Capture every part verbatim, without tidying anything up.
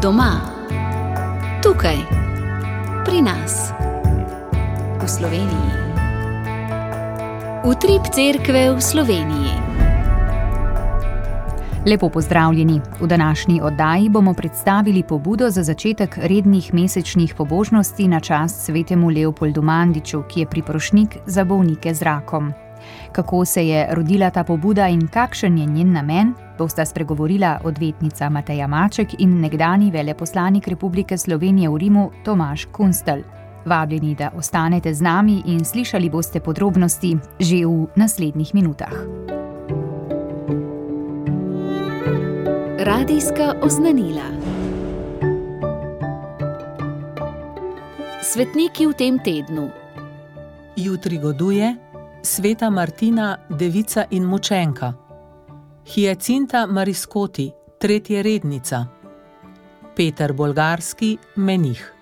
Doma, tukaj, pri nas, v Sloveniji. Utrip cerkve v Sloveniji. Lepo pozdravljeni. V današnji oddaji bomo predstavili pobudo za začetek rednih mesečnih pobožnosti na čast svetemu Leopoldu Mandiču, ki je priprošnik za bolnike z rakom. Kako se je rodila ta pobuda in kakšen je njen namen, bosta spregovorila odvetnica Mateja Maček in nekdanji veleposlanik Republike Slovenije v Rimu Tomaž Kunstelj. Vabljeni, da ostanete z nami in slišali boste podrobnosti že v naslednjih minutah. Radijska oznanila. Svetniki v tem tednu. Jutri goduje sveta Martina, devica in mučenka, Hyacinta Mariskoti, tretja rednica, Peter Bolgarski, menih.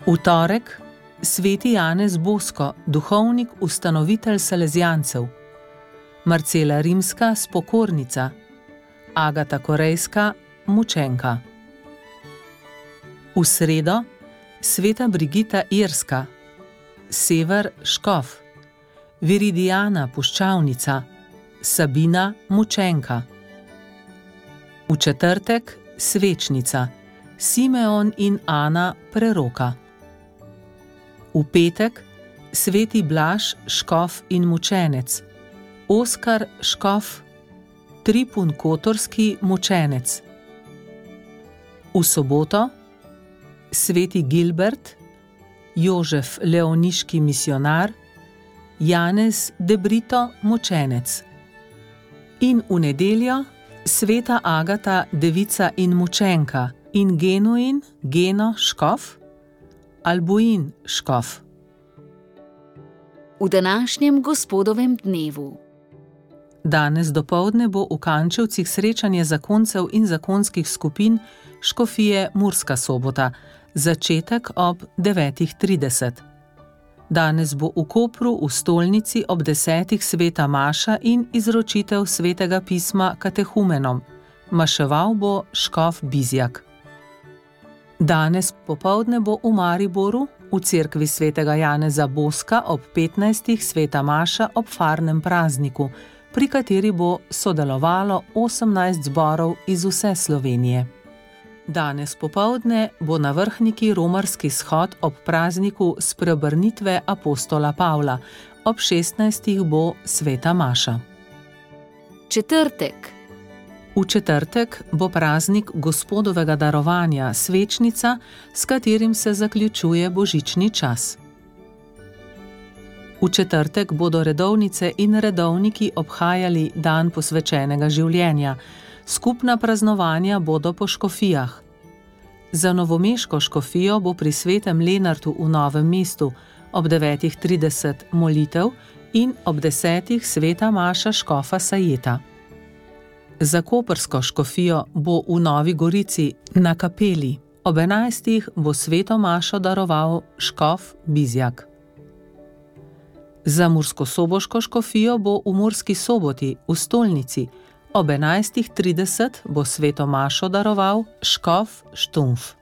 V torek sveti Janez Bosko, duhovnik, ustanovitelj Salezijancev, Marcela Rimska, spokornica, Agata Korejska, mučenka. V sredo sveta Brigita Irska, Sever škof, Viridijana puščavnica, Sabina mučenka. V četrtek svečnica, Simeon in Ana preroka. V petek sveti Blaž škof in mučenec, Oskar škof, Tripun kotorski mučenec. V soboto sveti Gilbert, Jožef leoniški misionar, Janez de Brito mučenec. In v nedeljo sveta Agata devica in mučenka in Genuin Geno škof, Albuin škof. V današnjem gospodovem dnevu. Danes dopoldne bo v Kančevcih srečanje zakoncev in zakonskih skupin škofije Murska Sobota, začetek ob devetih trideset. Danes bo v Kopru v stolnici ob desetih sveta maša in izročitev svetega pisma katehumenom. Maševal bo škof Bizjak. Danes popoldne bo v Mariboru v cerkvi svetega Janeza Boska ob petnajstih sveta maša ob farnem prazniku, pri kateri bo sodelovalo osemnajst zborov iz vse Slovenije. Danes popoldne bo na Vrhniki romarski shod ob prazniku spreobrnitve apostola Pavla, ob šestnajstih bo sveta maša. Četrtek. V četrtek bo praznik Gospodovega darovanja, svečnica, s katerim se zaključuje božični čas. V četrtek bodo redovnice in redovniki obhajali dan posvečenega življenja. Skupna praznovanja bodo po škofijah. Za novomeško škofijo bo pri svetem Lenartu v Novem mestu ob devetih trideset molitev in ob desetih sveta maša škofa Sajeta. Za koprsko škofijo bo v Novi Gorici na kapeli. Ob enajstih bo sveto mašo daroval škof Bizjak. Za murskosoboško škofijo bo v Murski Soboti v stolnici. Ob enajstih trideset bo sveto mašo daroval škof Štumf.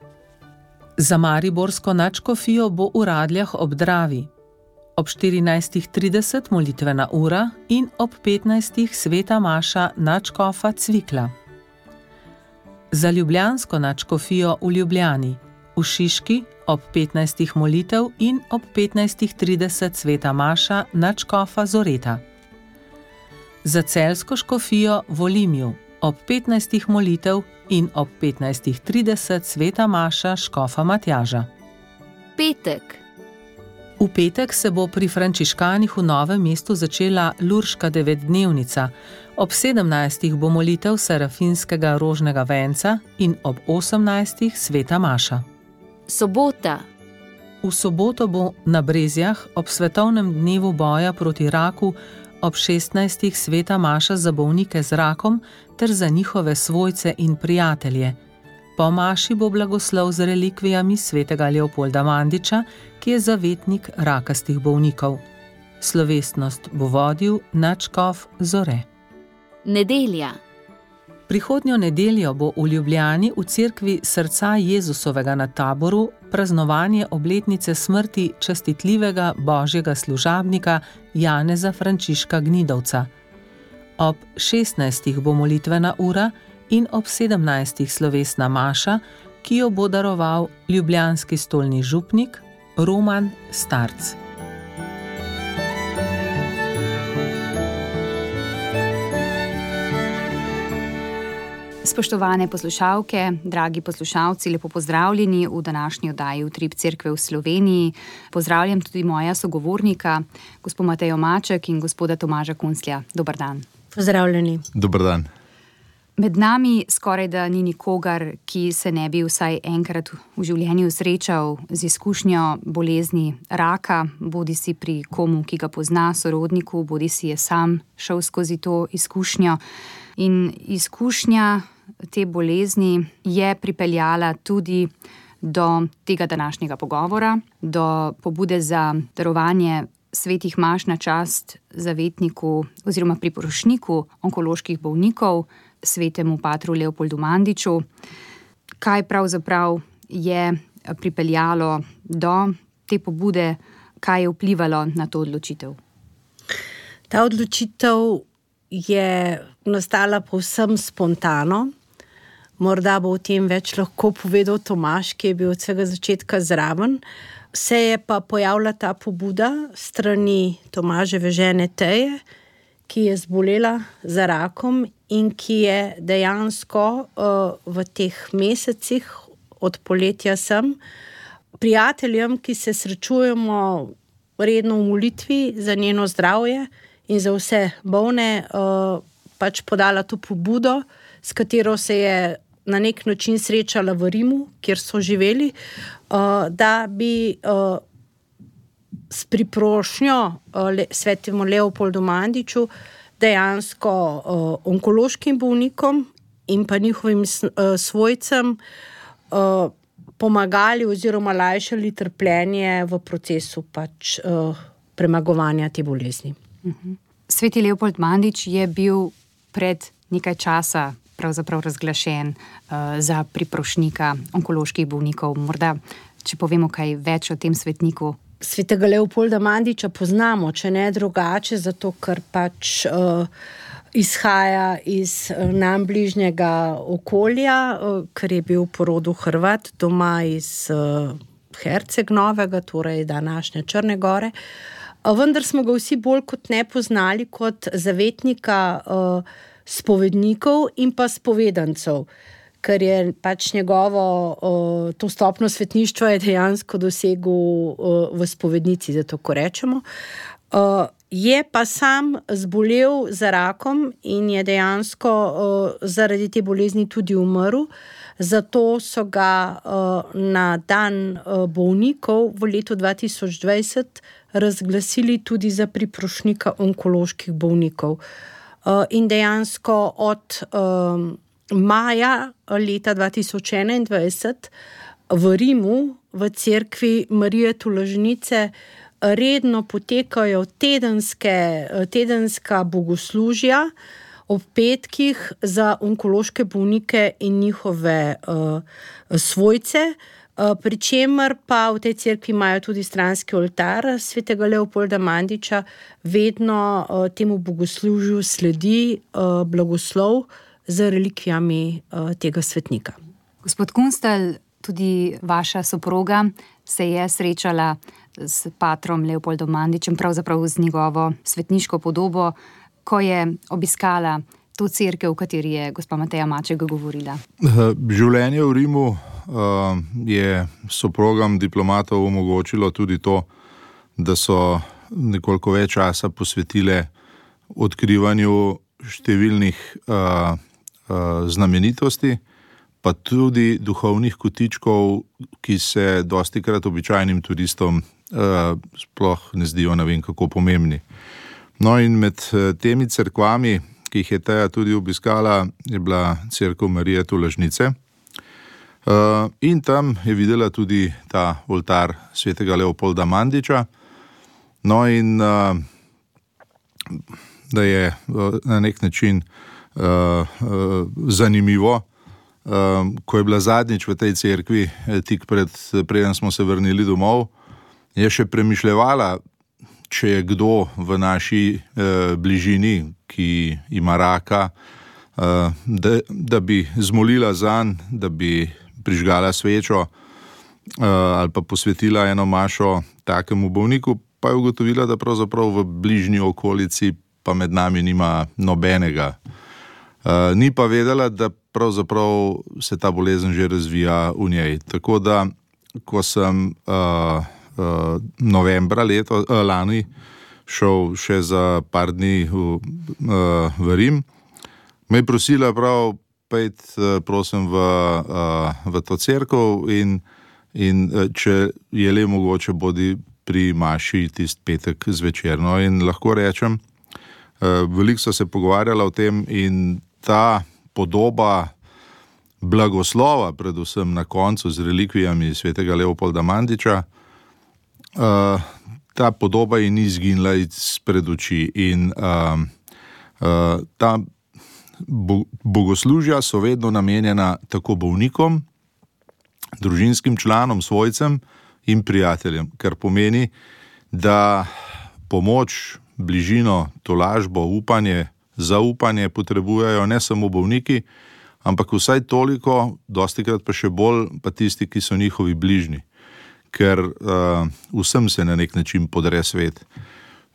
Za mariborsko nadškofijo bo v Radljah ob Dravi. Ob štirinajstih trideset molitvena ura in ob petnajstih sveta maša nadškofa Cvikla. Za ljubljansko nadškofijo v Ljubljani, v Šiški ob petnajstih molitev in ob petnajstih trideset sveta maša nadškofa Zoreta. Za celjsko škofijo v Olimju ob petnajstih molitev in ob petnajstih trideset sveta maša škofa Matjaža. Petek. V petek se bo pri frančiškanih v Novem mestu začela Lurška devetdnevnica, ob sedemnajstih bo molitev Serafinskega rožnega venca in ob osemnajstih sveta maša. Sobota. V soboto bo na Brezjah ob svetovnem dnevu boja proti raku ob šestnajstih sveta maša za bolnike z rakom ter za njihove svojce in prijatelje. Po maši bo blagoslov z relikvijami svetega Leopolda Mandiča, ki je zavetnik rakastih bolnikov. Slovesnost bo vodil nadškof Zore. Nedelja. Prihodnjo nedeljo bo v Ljubljani v cerkvi Srca Jezusovega na Taboru praznovanje obletnice smrti častitljivega božjega služabnika Janeza Frančiška Gnidovca. Ob šestnajstih bo molitvena ura in ob sedemnajstih slovesna maša, ki jo bo daroval ljubljanski stolni župnik Roman Starc. Spoštovane poslušalke, dragi poslušalci, lepo pozdravljeni v današnji oddaji Utrip cerkve v Sloveniji. Pozdravljam tudi moja sogovornika, gospod Matejo Maček in gospoda Tomaža Kunclja. Dobar dan. Pozdravljeni. Dobar dan. Med nami skoraj da ni nikogar, ki se ne bi vsaj enkrat v življenju srečal z izkušnjo bolezni raka, bodi si pri komu, ki ga pozna, sorodniku, bodi si je sam šel skozi to izkušnjo. In izkušnja te bolezni je pripeljala tudi do tega današnjega pogovora, do pobude za darovanje svetih maš na čast zavetniku oziroma priporočniku onkoloških bolnikov, svetemu patru Leopoldu Mandiču. Kaj pravzaprav je pripeljalo do te pobude, kaj je vplivalo na to odločitev? Ta odločitev je nastala povsem spontano. Morda bo o tem več lahko povedal Tomaž, ki je bil od vsega začetka zraven. Se je pa pojavila ta pobuda strani Tomaževe žene Teje, ki je zbolela za rakom in ki je dejansko uh, v teh mesecih od poletja sem prijateljem, ki se srečujemo redno v molitvi za njeno zdravje in za vse bolne, uh, pač podala to pobudo, s katero se je na nek način srečala v Rimu, kjer so živeli, uh, da bi uh, s priprošnjo uh, le, svetemu Leopoldu Mandiču dejansko uh, onkološkim bolnikom in pa njihovim uh, svojcem uh, pomagali oziroma lajšali trpljenje v procesu pač uh, premagovanja te bolezni. Uh-huh. Sveti Leopold Mandič je bil pred nekaj časa pravzaprav razglašen uh, za priprošnika onkoloških bolnikov. Morda, če povemo kaj več o tem svetniku. Svetega Leopolda Mandiča poznamo, če ne drugače, zato ker pač uh, izhaja iz uh, nam bližnjega okolja, uh, ker je bil po rodu Hrvat, doma iz uh, Herceg-Novega, torej današnje Črne Gore. Uh, vendar smo ga vsi bolj kot ne poznali kot zavetnika uh, spovednikov in pa spovedancev, ker je pač njegovo uh, to stopno svetništva je dejansko dosegel uh, v spovednici, zato ko rečemo. Uh, je pa sam zbolel za rakom in je dejansko uh, zaradi te bolezni tudi umrl, zato so ga uh, na dan uh, bolnikov v letu dva tisoč dvajset razglasili tudi za priprošnika onkoloških bolnikov. Uh, in dejansko od um, maja leta dva tisoč enaindvajset v Rimu, v cerkvi Marije Tolažnice, redno potekajo tedenske, tedenska bogoslužja ob petkih za onkološke bolnike in njihove uh, svojce, uh, pri čemer pa v tej cerkvi imajo tudi stranski oltar svetega Leopolda Mandiča, vedno uh, temu bogoslužju sledi uh, blagoslov z relikvijami uh, tega svetnika. Gospod Kunclj, tudi vaša soproga se je srečala s patrom Leopoldom Mandičem, pravzaprav z njegovo svetniško podobo, ko je obiskala to cerkev, v kateri je gospa Mateja Maček govorila. Življenje v Rimu uh, je soprogam diplomatov omogočilo tudi to, da so nekoliko več časa posvetile odkrivanju številnih uh, uh, znamenitosti, pa tudi duhovnih kotičkov, ki se dostikrat običajnim turistom uh, sploh ne zdijo ne vem kako pomembni. No in med temi cerkvami, ki jih je Teja tudi obiskala, je bila cerkev Marije Tolažnice. Uh, in tam je videla tudi ta oltar svetega Leopolda Mandiča. No in uh, da je uh, na nek način uh, zanimivo. Uh, ko je bila zadnjič v tej cerkvi, tik pred, preden smo se vrnili domov, je še premišljevala, če je kdo v naši uh, bližini, ki ima raka, uh, da, da bi zmolila zanj, da bi prižgala svečo uh, ali pa posvetila eno mašo takemu bolniku, pa je ugotovila, da pravzaprav v bližnji okolici pa med nami nima nobenega. Uh, ni pa vedela, da pravzaprav se ta bolezen že razvija v njej. Tako da, ko sem uh, uh, novembra leto, uh, lani šel še za par dni v, uh, v Rim, me je prosila prav, pejt, uh, prosim, v, uh, v to cerkev in, in uh, če je le mogoče, bodi pri maši tist petek zvečer. No, in lahko rečem, uh, veliko so se pogovarjala o tem in ta podoba blagoslova, predvsem na koncu z relikvijami svetega Leopolda Mandiča, uh, ta podoba ji ni izginila izpred oči in uh, uh, ta bo, bogoslužja so vedno namenjena tako bolnikom, družinskim članom, svojcem in prijateljem, kar pomeni, da pomoč, bližino, tolažbo, upanje, zaupanje potrebujejo ne samo bolniki, ampak vsaj toliko, dostikrat pa še bolj, pa tisti, ki so njihovi bližnji. Ker uh, vsem se na nek način podre svet.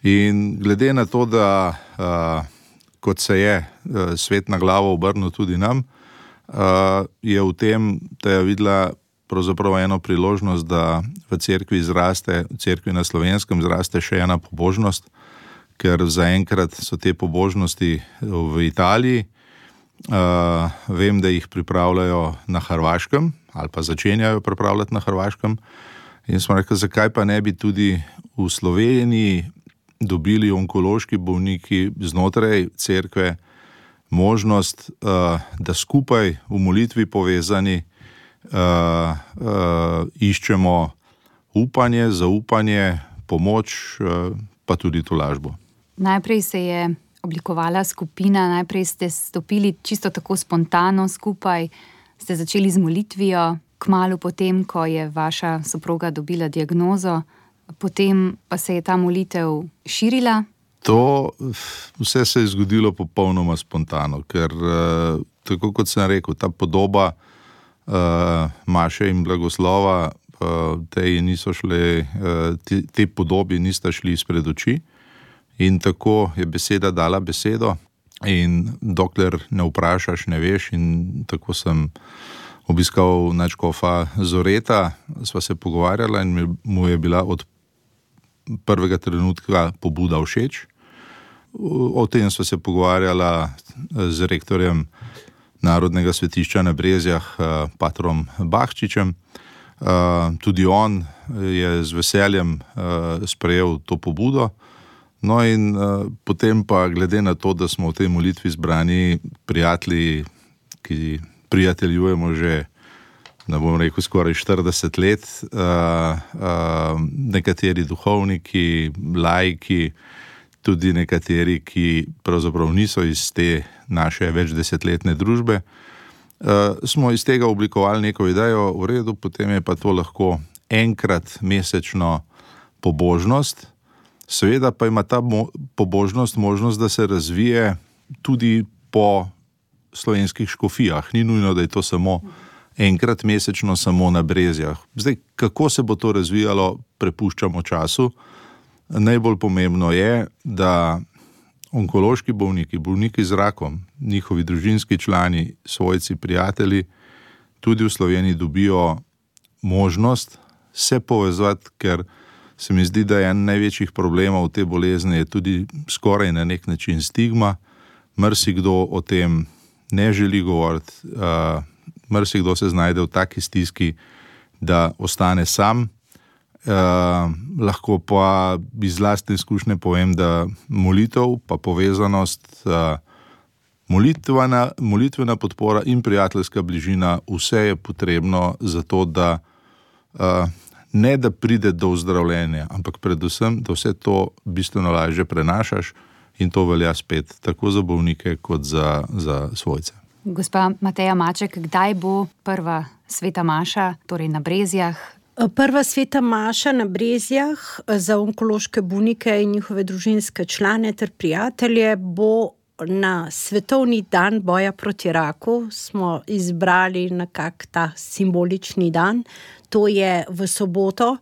In glede na to, da uh, kot se je uh, svet na glavo obrnil tudi nam, uh, je v tem, da je videla pravzaprav eno priložnost, da v cerkvi zraste, v cerkvi na Slovenskem zraste še ena pobožnost, ker zaenkrat so te pobožnosti v Italiji. Uh, vem, da jih pripravljajo na Hrvaškem ali pa začenjajo pripravljati na Hrvaškem. In smo rekli, zakaj pa ne bi tudi v Sloveniji dobili onkološki bolniki znotraj cerkve možnost, uh, da skupaj v molitvi povezani uh, uh, iščemo upanje, zaupanje, pomoč, uh, pa tudi tolažbo. Najprej se je oblikovala skupina, najprej ste stopili čisto tako spontano skupaj, ste začeli z molitvijo, kmalu potem, ko je vaša soproga dobila diagnozo, potem pa se je ta molitev širila. To vse se je zgodilo popolnoma spontano, ker tako kot sem rekel, ta podoba uh, maše in blagoslova, uh, te, niso šle, uh, te, te podobi nista šli izpred oči. In tako je beseda dala besedo in dokler ne vprašaš, ne veš, in tako sem obiskal nadškofa Zoreta, sva se pogovarjala in mu je bila od prvega trenutka pobuda všeč. O tem sva se pogovarjala z rektorjem Narodnega svetišča na Brezjah, patrom Bahčičem. Tudi on je z veseljem sprejel to pobudo. No in uh, potem pa glede na to, da smo v tej molitvi zbrani prijatelji, ki prijateljujemo že, ne bom rekel, skoraj štirideset let, uh, uh, nekateri duhovniki, laiki, tudi nekateri, ki pravzaprav niso iz te naše večdesetletne družbe, uh, smo iz tega oblikovali neko idejo, v redu, potem je pa to lahko enkrat mesečno pobožnost. Seveda pa ima ta mo- pobožnost možnost, da se razvije tudi po slovenskih škofijah. Ni nujno, da je to samo enkrat mesečno, samo na Brezjah. Zdaj, kako se bo to razvijalo, prepuščamo času. Najbolj pomembno je, da onkološki bolniki, bolniki z rakom, njihovi družinski člani, svojci, prijatelji, tudi v Sloveniji dobijo možnost se povezati, ker se mi zdi, da je en največjih problemov te bolezni je tudi skoraj na nek način stigma. Marsikdo o tem ne želi govoriti, uh, marsikdo se znajde v taki stiski, da ostane sam. Uh, lahko pa iz lastne izkušnje povem, da molitev pa povezanost, uh, molitvena, molitvena podpora in prijateljska bližina, vse je potrebno za to, da uh, ne da pride do ozdravljenja, ampak predvsem, da vse to bistveno lažje prenašaš in to velja spet tako za bolnike kot za, za svojce. Gospa Mateja Maček, kdaj bo prva sveta maša, torej na Brezjah? Prva sveta maša na Brezjah za onkološke bolnike in njihove družinske člane ter prijatelje bo na Svetovni dan boja proti raku. Smo izbrali nekak ta simbolični dan. To je v soboto,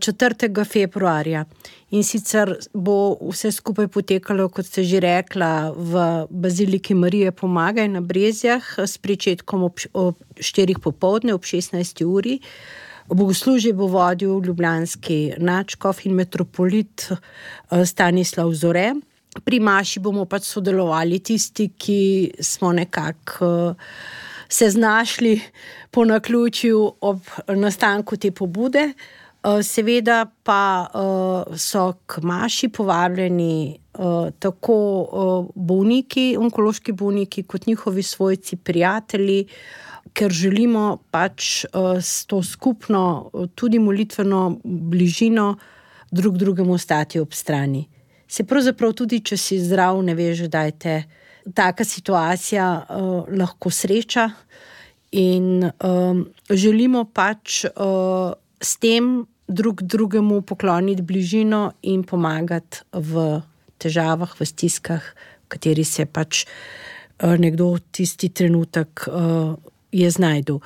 četrtega februarja. In sicer bo vse skupaj potekalo, kot ste že rekla, v Baziliki Marije Pomagaj na Brezjah s pričetkom ob, ob štirih popoldne, ob šestnajsti uri. Bogoslužje bo vodil ljubljanski nadškof in metropolit Stanislav Zore. Pri maši bomo pač sodelovali tisti, ki smo nekako se znašli po naključju ob nastanku te pobude. Seveda pa so k maši povabljeni tako bolniki, onkološki bolniki, kot njihovi svojci, prijatelji, ker želimo pač s to skupno, tudi molitveno bližino drug drugemu stati ob strani. Se pravzaprav tudi, če si zdrav, ne veš, da je te taka situacija uh, lahko sreča in um, želimo pač uh, s tem drug drugemu pokloniti bližino in pomagati v težavah, v stiskah, v kateri se pač uh, nekdo tisti trenutek uh, je znajdel.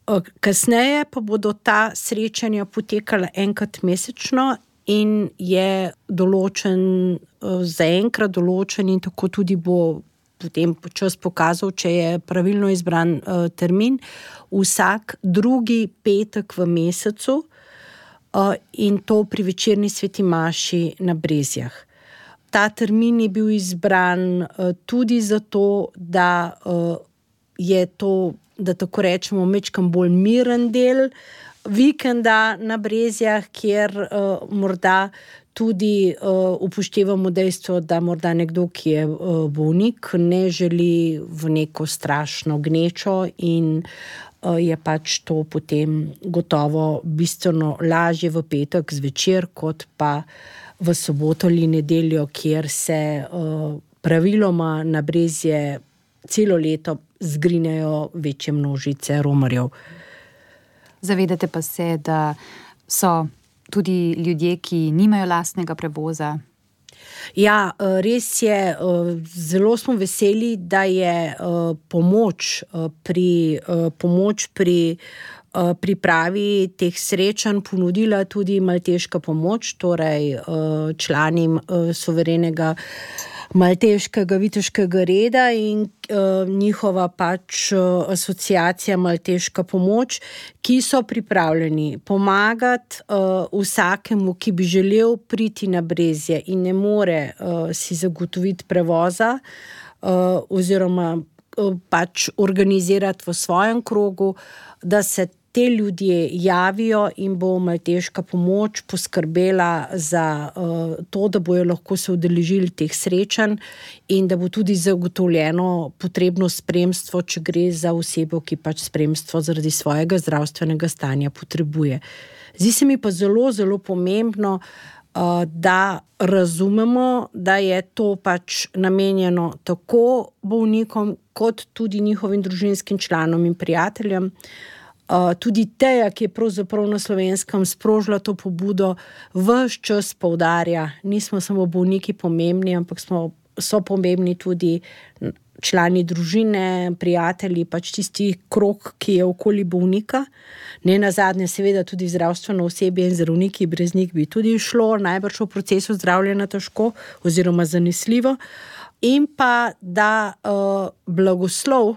Uh, kasneje pa bodo ta srečanja potekala enkrat mesečno in je določen, zaenkrat določen in tako tudi bo potem čas pokazal, če je pravilno izbran uh, termin, vsak drugi petek v mesecu uh, in to pri večerni sveti maši na Brezjah. Ta termin je bil izbran uh, tudi zato, da uh, je to, da tako rečemo, mečkam bolj miren del vikenda na Brezjah, kjer uh, morda tudi uh, upoštevamo dejstvo, da morda nekdo, ki je uh, bolnik, ne želi v neko strašno gnečo in uh, je pač to potem gotovo bistveno lažje v petek zvečer, kot pa v soboto ali nedeljo, kjer se uh, praviloma na Brezje celo leto zgrinejo večje množice romarjev. Zavedate pa se, da so tudi ljudje, ki nimajo lastnega prevoza? Ja, res je. Zelo smo veseli, da je pomoč pri, pomoč pri pripravi teh srečanj ponudila tudi Malteška pomoč, torej člani suverenega Malteškega viteškega reda in uh, njihova pač uh, asociacija Malteška pomoč, ki so pripravljeni pomagati uh, vsakemu, ki bi želel priti na Brezje in ne more uh, si zagotoviti prevoza uh, oziroma uh, pač organizirati v svojem krogu, da se te ljudje javijo in bo Malteška pomoč poskrbela za uh, to, da bojo lahko se udeležili teh srečanj in da bo tudi zagotovljeno potrebno spremstvo, če gre za osebo, ki pač spremstvo zaradi svojega zdravstvenega stanja potrebuje. Zdi se mi pa zelo, zelo pomembno, uh, da razumemo, da je to pač namenjeno tako bolnikom, kot tudi njihovim družinskim članom in prijateljem. Uh, tudi Teja, ki je pravzaprav na Slovenskem sprožila to pobudo, ves čas poudarja, nismo samo bolniki pomembni, ampak smo, so pomembni tudi člani družine, prijatelji, pač tisti krog, ki je okoli bolnika. Ne nazadnje seveda tudi zdravstveno osebje in zdravniki, brez njih bi tudi šlo najbrž v procesu zdravljenja težko oziroma zanesljivo. In pa, da uh, blagoslov,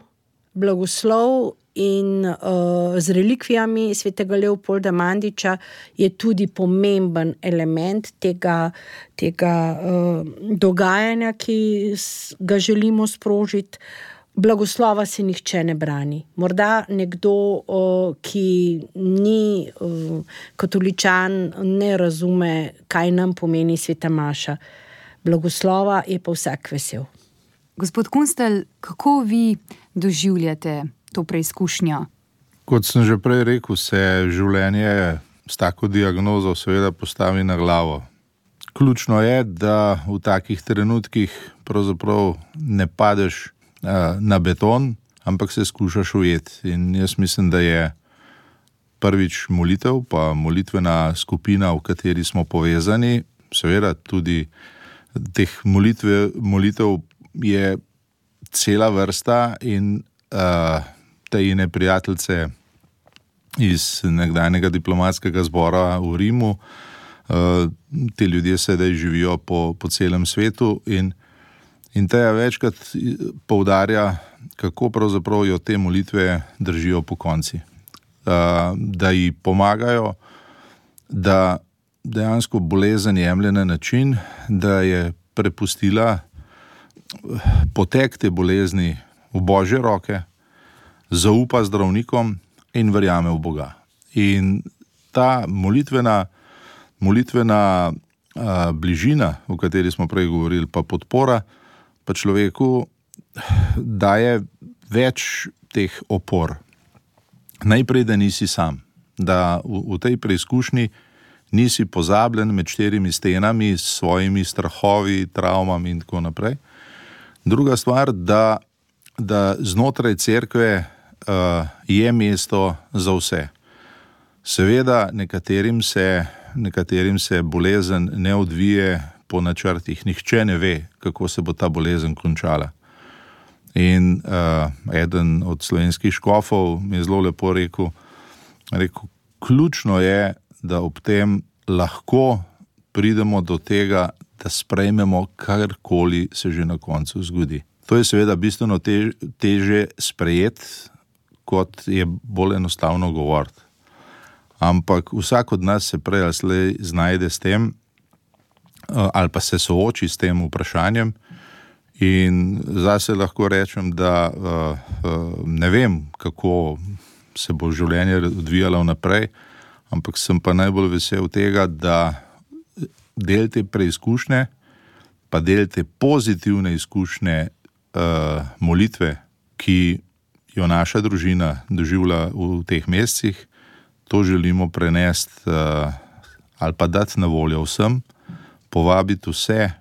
blagoslov in uh, z relikvijami svetega Leopolda Mandiča je tudi pomemben element tega, tega uh, dogajanja, ki ga želimo sprožiti. Blagoslova se nihče ne brani. Morda nekdo, uh, ki ni uh, katoličan, ne razume, kaj nam pomeni sveta maša. Blagoslova je pa vsak vesel. Gospod Kunstelj, kako vi doživljate to preizkušnjo? Kot sem že prej rekel, se življenje s tako diagnozo seveda postavi na glavo. ključno je, da v takih trenutkih pravzaprav ne padeš uh, na beton, ampak se skušaš ujeti. In jaz mislim, da je prvič molitev, pa molitvena skupina, v kateri smo povezani, seveda tudi teh molitve, molitev je cela vrsta in uh, te ine prijateljce iz nekdanjega diplomatskega zbora v Rimu, uh, te ljudje sedaj živijo po, po celem svetu in, in Teja večkrat poudarja, kako pravzaprav jo te molitve držijo po konci. Uh, da ji pomagajo, da dejansko bolezen jemlje na način, da je prepustila potek te bolezni v Božje roke, zaupa zdravnikom in verjame v Boga. In ta molitvena, molitvena a, bližina, o kateri smo prej govorili, pa podpora, pa človeku daje več teh opor. Najprej, da nisi sam, da v, v tej preizkušnji nisi pozabljen med štirimi stenami s svojimi strahovi, travmami in tako naprej. Druga stvar, da, da znotraj cerkve uh, je mesto za vse. Seveda nekaterim se, nekaterim se bolezen ne odvije po načrtih. Nihče ne ve, kako se bo ta bolezen končala. In uh, eden od slovenskih škofov mi je zelo lepo rekel, rekel, ključno je, da ob tem lahko pridemo do tega, da sprejmemo karkoli se že na koncu zgodi. To je seveda bistveno tež, teže sprejeti, kot je bolj enostavno govoriti. Ampak vsak od nas se prej ali slej znajde s tem, ali pa se sooči s tem vprašanjem. In zase lahko rečem, da ne vem, kako se bo življenje odvijalo naprej, ampak sem pa najbolj vesel tega, da del te preizkušnje, pa del te pozitivne izkušnje uh, molitve, ki jo naša družina doživlja v teh mesecih, to želimo prenesti uh, ali pa dati na voljo vsem, povabiti vse,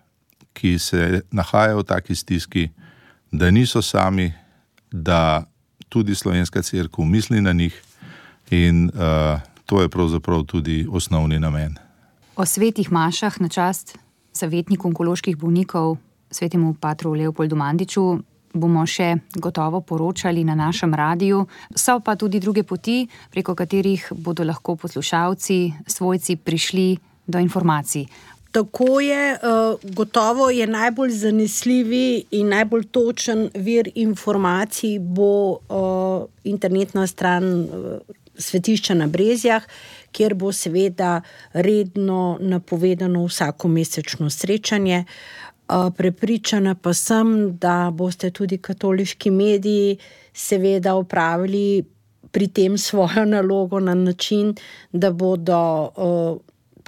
ki se nahajajo v taki stiski, da niso sami, da tudi Slovenska cerkev misli na njih in uh, to je pravzaprav tudi osnovni namen. O svetih mašah na čast zavetniku onkoloških bolnikov, svetemu patru Leopoldu Mandiču, bomo še gotovo poročali na našem radiju. So pa tudi druge poti, preko katerih bodo lahko poslušalci, svojci prišli do informacij. Tako je, gotovo je najbolj zanesljivi in najbolj točen vir informacij bo internetna stran Svetišča na Brezjah, kjer bo seveda redno napovedano vsako mesečno srečanje. Prepričana pa sem, da boste tudi katoliški mediji seveda opravili pri tem svojo nalogo na način, da bodo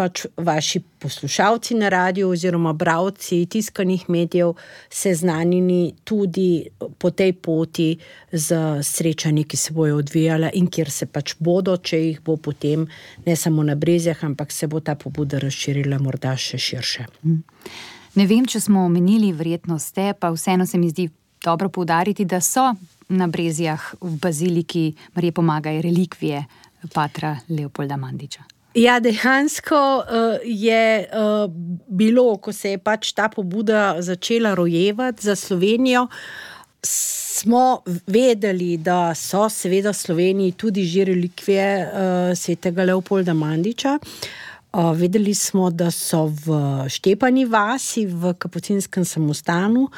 pač vaši poslušalci na radiju oziroma bralci tiskanih medijev seznanjeni tudi po tej poti z srečanji, ki se bojo odvijala in kjer se pač bodo, če jih bo potem ne samo na Brezjah, ampak se bo ta pobuda razširila morda še širše. Ne vem, če smo omenili, verjetno ste, pa vseeno se mi zdi dobro poudariti, da so na Brezjah v baziliki Marije Pomagaj relikvije patra Leopolda Mandiča. Ja, dejansko uh, je uh, bilo, ko se je pač ta pobuda začela rojevati za Slovenijo, smo vedeli, da so seveda v Sloveniji tudi že relikvije uh, svetega Leopolda Mandiča. Uh, vedeli smo, da so v Štepani vasi, v kapucinskem samostanu.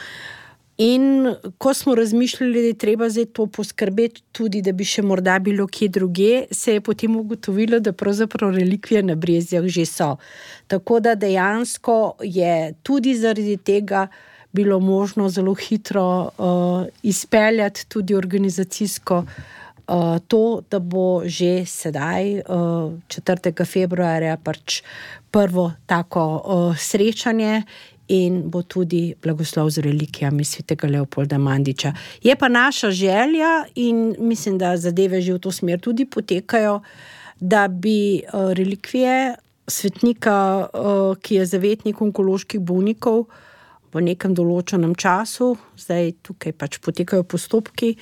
In ko smo razmišljali, da je treba zdaj to poskrbeti tudi, da bi še morda bilo kje druge, se je potem ugotovilo, da pravzaprav relikvije na Brezjah že so. Tako da dejansko je tudi zaradi tega bilo možno zelo hitro uh, izpeljati tudi organizacijsko uh, to, da bo že sedaj, uh, četrtega februarja, pač prvo tako uh, srečanje in bo tudi blagoslov z relikvijami svetega Leopolda Mandiča. Je pa naša želja in mislim, da zadeve že v to smer tudi potekajo, da bi relikvije svetnika, ki je zavetnik onkoloških bolnikov v nekem določenem času, zdaj tukaj pač potekajo postopki,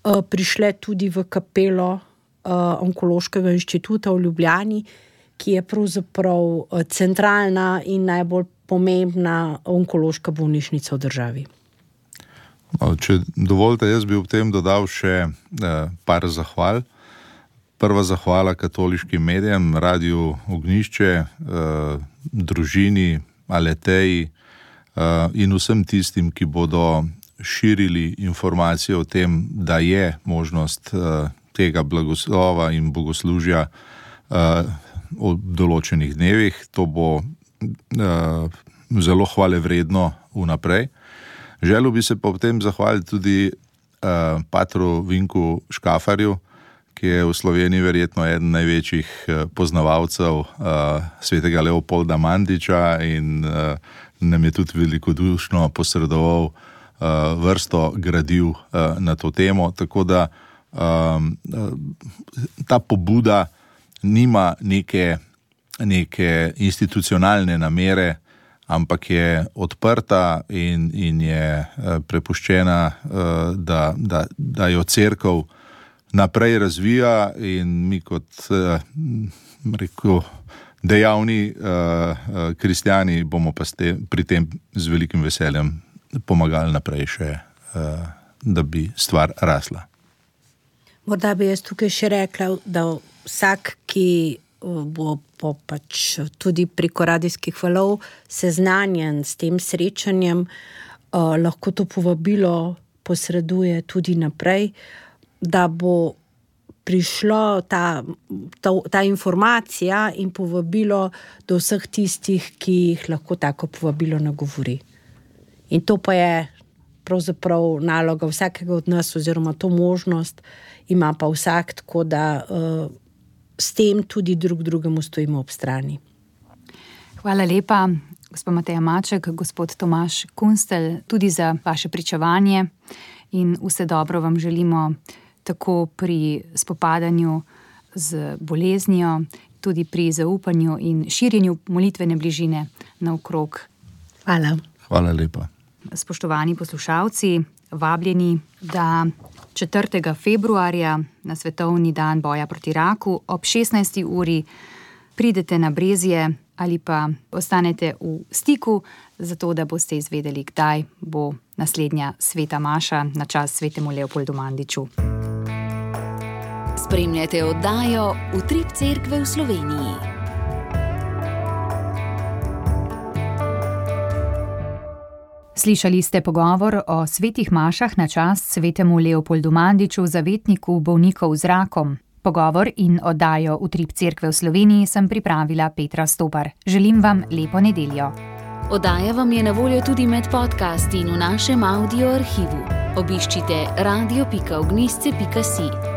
prišle tudi v kapelo Onkološkega inštituta v Ljubljani, ki je pravzaprav centralna in najbolj pomembna onkološka bolnišnica v državi. Če dovolite, jaz bi ob tem dodal še par zahval. Prva zahvala katoliškim medijem, Radiu Ognjišče, družini, Aleteji in vsem tistim, ki bodo širili informacije o tem, da je možnost tega blagoslova in bogoslužja v določenih dnevih. To bo zelo hvalevredno vnaprej. Želel bi se pa ob tem zahvaliti tudi patru Vinku Škafarju, ki je v Sloveniji verjetno eden največjih poznavalcev svetega Leopolda Mandiča in nam je tudi velikodušno posredoval vrsto gradiv na to temo, tako da ta pobuda nima neke, neke institucionalne namere, ampak je odprta in, in je prepuščena, da, da, da jo cerkev naprej razvija in mi kot rekel, dejavni kristjani bomo pa ste, pri tem z velikim veseljem pomagali naprej še, da bi stvar rasla. Morda bi jaz tukaj še rekla, da vsak, ki bo po pač tudi preko radijskih valov seznanjen s tem srečanjem, lahko to povabilo posreduje tudi naprej, da bo prišlo ta, ta, ta informacija in povabilo do vseh tistih, ki jih lahko tako povabilo nagovori. In to pa je pravzaprav naloga vsakega od nas, oziroma to možnost ima pa vsak, tako da uh, s tem tudi drug drugemu stojimo ob strani. Hvala lepa, gospod Mateja Maček, gospod Tomaž Kunstelj, tudi za vaše pričevanje in vse dobro vam želimo tako pri spopadanju z boleznijo, tudi pri zaupanju in širjenju molitvene bližine naokrog. Hvala. Hvala lepa. Spoštovani poslušalci, vabljeni, da četrtega februarja na svetovni dan boja proti raku ob šestnajsti uri pridete na Brezje ali pa ostanete v stiku, zato da boste izvedeli, kdaj bo naslednja sveta maša na čast svetemu Leopoldu Mandiču. Spremljate oddajo Utrip cerkve v Sloveniji. Slišali ste pogovor o svetih mašah na čast svetemu Leopoldu Mandiču, zavetniku bolnikov z rakom. Pogovor in oddajo Utrip cerkve v Sloveniji sem pripravila Petra Stopar. Želim vam lepo nedeljo. Oddaja vam je na voljo tudi med podcasti in v našem audio arhivu. Obiščite radio pika ognjišče pika si.